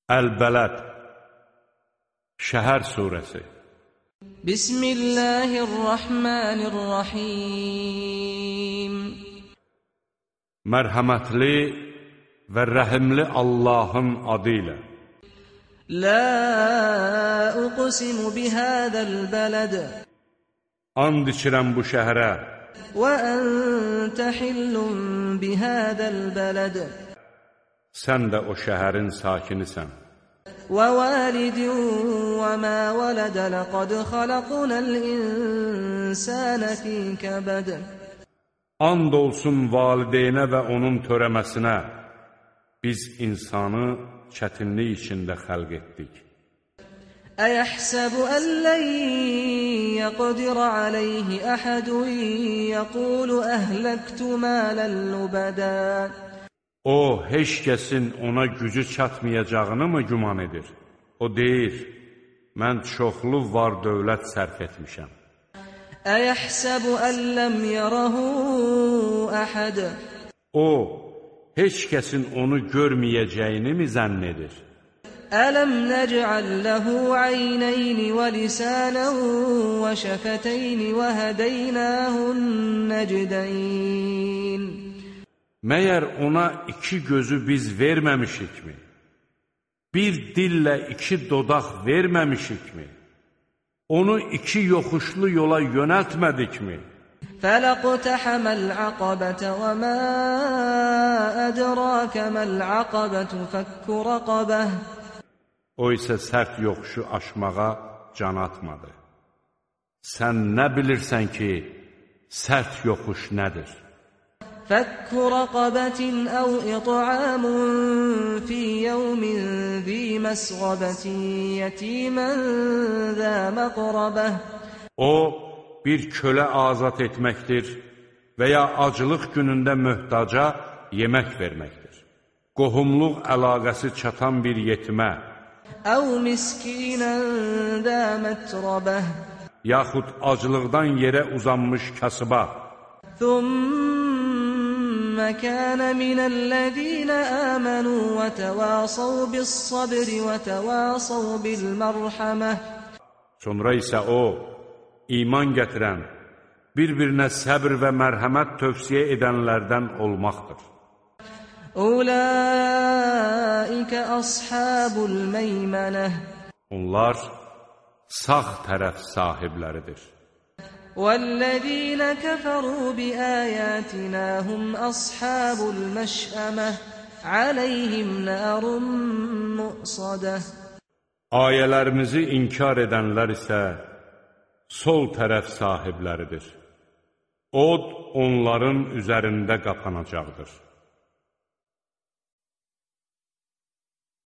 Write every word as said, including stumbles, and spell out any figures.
Əl-Bələd Şəhər surəsi. Bismillahirrahmanirrahim. Mərhəmətli və rəhimli Allahın adı ilə. La uqsimu bihadal balad. And içirəm bu şəhərə. Və ente hillun bihadal balad. Sən də o şəhərin sakinisən. Və validin və mə vələd. Ləqad xalaqnal insana fi kəbəd. And olsun valideynə və onun törəməsinə. Biz insanı çətinlik içində xəlq etdik. Əyəhsəbu ən lən yəqdir aleyhi əhədun yəqulu əhləktu mələn lübədə. O, heç kəsin ona gücü çatmayacağını mı güman edir? O deyir, mən çoxlu var dövlət sərf etmişəm. Əyəhsəbu ən ləm yərəhu əhəd. O, heç kəsin onu görməyəcəyini mi zənn edir? Ələm nəcəl ləhu əynəyni və lisənən və şəfətəyni və hədəynəhun nəcdəyn. Məyər ona iki gözü biz verməmişikmi? Bir dillə iki dodaq verməmişikmi? Onu iki yoxuşlu yola yönəltmədikmi? Fələqtəhəməl əqabətə və mə ədrakəməl əqabətü fəkku rəqabəh. O isə sərt yoxuşu aşmağa can atmadı. Sən nə bilirsən ki, sərt yoxuş nədir? Fəkku rəqabətin əv iطعamun fi yevmin zi məsğabətin yetimən zə məqrabəh. O, bir kölə azad etməkdir və ya acılıq günündə möhtaca yemək verməkdir. Qohumluq əlaqəsi çatan bir yetimə, əv miskinən zə mətrəbəh. yaxud acılıqdan yerə uzanmış kasıba. Thumma kana minəl-ləzīnə əmənu və təvəsav bis-sabri və təvəsav bil-mərhəməh. Sonra isə o, iman gətirən, bir-birinə səbr və mərhəmət tövsiyə edənlərdən olmaqdır. Ulaikə ashabul meymənəh. Onlar sağ tərəf sahibləridir. Vəl-ləzīnə kəfəru bi-əyətinə hum ashabul məşəməh. Aleyhim nərun muqsadah. Ayələrimizi inkar edənlər isə sol tərəf sahibləridir. Od onların üzərində qapanacaqdır.